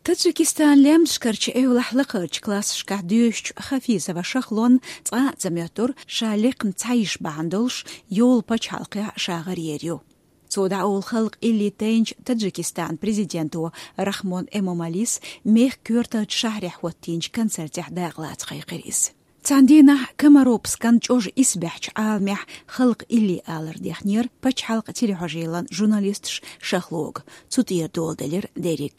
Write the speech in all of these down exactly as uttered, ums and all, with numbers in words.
Таджикистан лаьмнашкарчу эвлахь лакхарчу классашкахь доьшучу Хафизова Шахлон цкъа а ца моьттура, ша лекхна цхьа йиш бахьана долуш йолу пачхьалкхехь ша гӀаръер ю. Цо дӀаолу халкъ илли тайначу Таджикистан президенто Рахмон Эмомалис мехкан коьртачу шахьарехь хӀоттийначу концертехь дакъалаца кхайкхира иза. Цхьана дийнахь Комаровскан чӀожа исбаьхьчу Ӏаламехь халкъ илли алар дехнера пачхьалкх телехьожийлан журналисташ Шахлога, цу тӀера доладелира дерриг.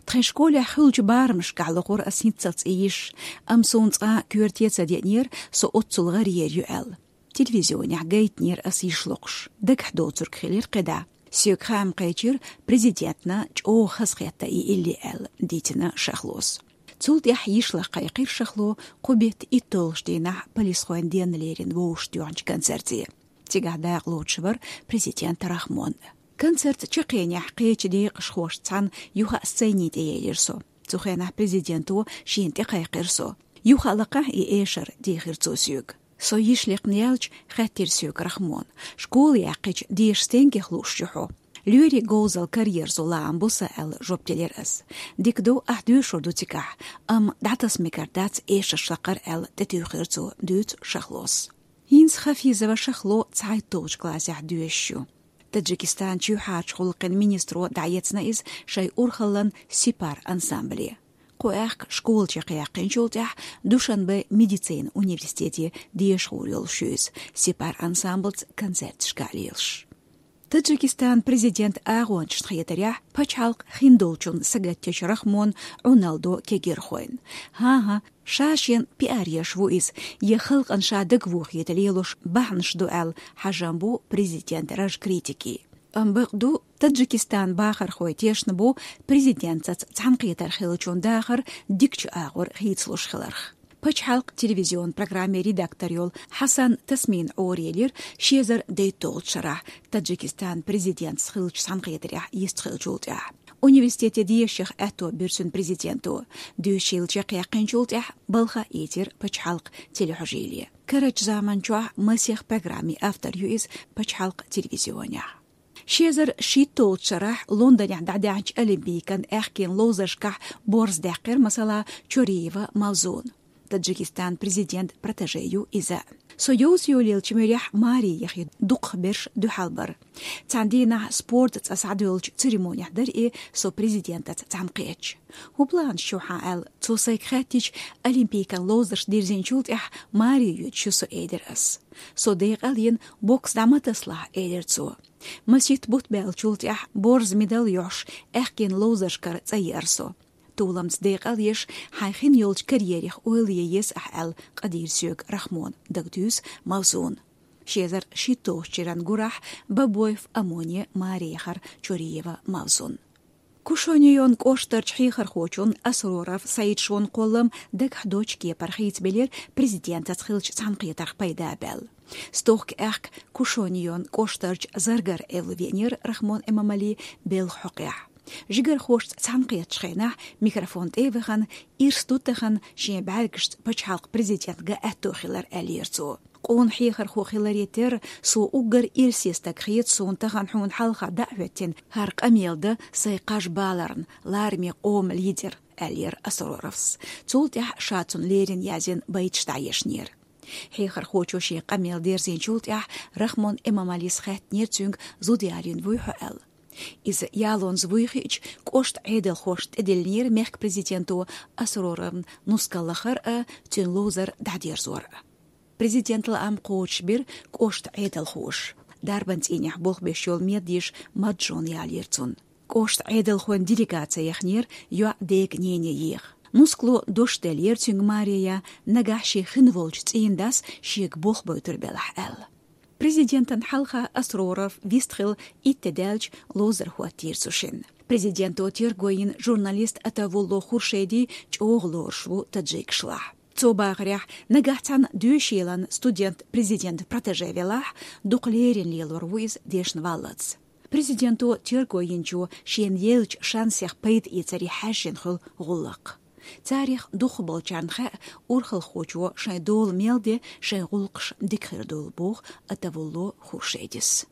Тхайн школехь хуьлучу барамашкахь лохура ас хӀинццалц и йиш, амма суна цкъа коьрте ца деънера, со оццул гӀаръер ю аьлла. Телевизионехь гайтинера ас йиш локхуш. Дагахь доцург хилира кхидӀа. Соьга хаам кхечира президентна чӀогӀа хазахетта и илли аьлла, дийцина Шахлос. Цул тӀаьхьа йиш лаха кхайкхира Шахло кху беттан итталгӀачу дийнахь полисхойн денна лерина вовшахтоьхначу концерте. Цигахь дакъалоцуш вара президент Рахмон. Концерт чаккхенехь кхечу декъашхошца цхьаьна юха а сцени тӀе елира со. Цу хенахь президенто шена тӀе кхайкхира со. Юха а лакхахь и эшар, дийхира цо соьга. Со йиш лекхна яьлча, хаьттира соьга Рахмон: «Школа яьккхича, деша стенгех лууш ю хьо?» «Лоьрийн говзалла караерзо лаам бу сан», — аьлла, жоп делира ас. «Дика ду, ахь доьшур ду цигахь, амма дӀатаса мегар дац эшарш лакхара», — аьлла, тӀетуьйхира цо, дуьйцу Шахлос. ХӀинца Хафизова Шахло цхьайтталгӀачу классехь доьшуш ю. Таджикистан чоьхьарчу гӀуллакхийн министро дӀаэцна иза шайн урхаллан «Сепар» ансамбле. Кху аьхка школа чекхъяьккхинчул тӀаьхьа Душанбе медицинан университете деша гӀур йолуш ю иза, «Сепар» ансамбльца концерташка а лелаш. Таджикистан президентан агӀончашна хетарехь, пачхьалкх хиндолчунна сагатдечу Рахмон Ӏуналдо кегийрхойн. ХӀан-хӀа, ша шен пиар еш ву иза, я халкъана ша дагавохийта лелош бахьанаш ду аьлла хьажам бу президентан раж критике. Амма бакъ ду, Таджикистан бахархой тешна бу президентаца цхьаьнакхетар хиллачун дахар дикачу агӀор хийцалуш хиларх. Пачхьалкх телевизион программин редактор йолу Хьасан Тасмин Ӏорелира ши эзар дейтталгӀачу шарахь Таджикистан президентаца хиллачу цхьаьнакхетарехь йистхиллачул тӀаьхьа. Университете дешах аьтто бира цуьнан президенто. Доьшийла чекхъяьккхинчул тӀаьхьа балха а ийцира пачхьалкх телехьожийле. Карарчу заманчохь масех программин автор ю иза пачхьалкх телевизионехь. Ши эзар шийтталгӀачу шарахь Лондонехь дӀадаьхьначу Олимпийкан аьхкенан ловзаршкахь борз даьккхира, масала, Чориева Мавзун. Таджикистан президент протеже ю иза. Со йовза-йолаеллачу муьрехь маре яхе дукхахберш дуьхьал бара. Цхьана дийнахь спортан цӀа схьадоьллучу церемонехь дара и, со президентаца цхьаьнакхетча. «ХӀун планаш ю хьан?» — аьлла, цо сайга хаьттича, Олимпийкан ловзарш дирзинчул тӀаьхьа маре йоьдуш ю со, элира ас. Со декъал йина, бокс дӀа ма тасалахь, элира цо. Масийтта бутт баьллачул тӀаьхьа борз медаль йохьуш, аьхкенан ловзаршкара цӀа еара со. Толамца декъал еш, хьайн хин йолчу карьерех ойла е еза ахь аьлла, къадийра соьга Рахмон, дагадуьйсу Мавзун. Ши эзар шийтталгӀачу шеран гурахь Бабоев Амоне маре яхара Чориева Мавзун. Кушонеон кӀоштарчу хьехархочун Асроров Саид-Шон кхоллам дагахь доцчу кепара хийцабелира президентаца хиллачу цхьаьнакхетарх пайда а баьлла. Стохка аьхка Кушонеон кӀоштарчу Заргар эвла веанера Рахмон Эмомали белхан хьокъехь. Жигархошца цхьаьнакхеттачу хенахь микрофон тӀе а вахана, ирс ду тахана шен бӀаьргашца пачхьалкх президент ган аьтто хилар, аьллера цо. Къона хьехархо хиларе терра, со уггар ирсе стаг хета суна тахана хьуна хьалха дӀа а хӀоьттина хӀара къамел дан сайн кхаж баларна, лараме къоман лидер, аьллера Асроровс. Цул тӀаьхьа ша цунна леррина язйина байташ дӀаешнера. Хьехархочо шен къамел дерзинчул тӀаьхьа Рахмон Эмомалис хаьттинера цуьнга, зуда ялийна вуй хьо аьлла. Иза ялонза вуй хиъча, кӀоштан Ӏедалхошна тӀедиллинера мехкан президенто Асроровна нускал лахар а, цуьнан ловзар дӀадерзор а. Президентан лаам кхочушбира кӀоштан Ӏедалхоша. Дарбан цӀийнехь болх беш йолу меда йиша Маджон ялийра цунна. КӀоштан Ӏедалхойн делегаци яхнера йоӀ-дега Нене еха. Нускало дош деллера цуьнга Мария, нагахь шен хин волчу цӀийнан дас шега болх бойтур белахь аьлла. Президентана хьалха Асроров вистхилла итт де даьлча ловзар хӀоттийра цу шинна. Президенто терго йина журналист Атавулло Хуршеди чӀогӀа лоруш ву таджикашлахь. Цо бахарехь, нагахь цхьана доьшийлан студент президентан протеже велахь, дукха леррина лелор ву иза дешна валлалц. Президенто терго йинчо шена еллачу шансех пайда эцаре хьаьжжина хуьлу гӀуллакх. Царех дукхахболчарна хаьа, урхалхочо шайн дола мел де шайн гӀуллакхаш дика хир долу, боху Атавулло Хуршедис.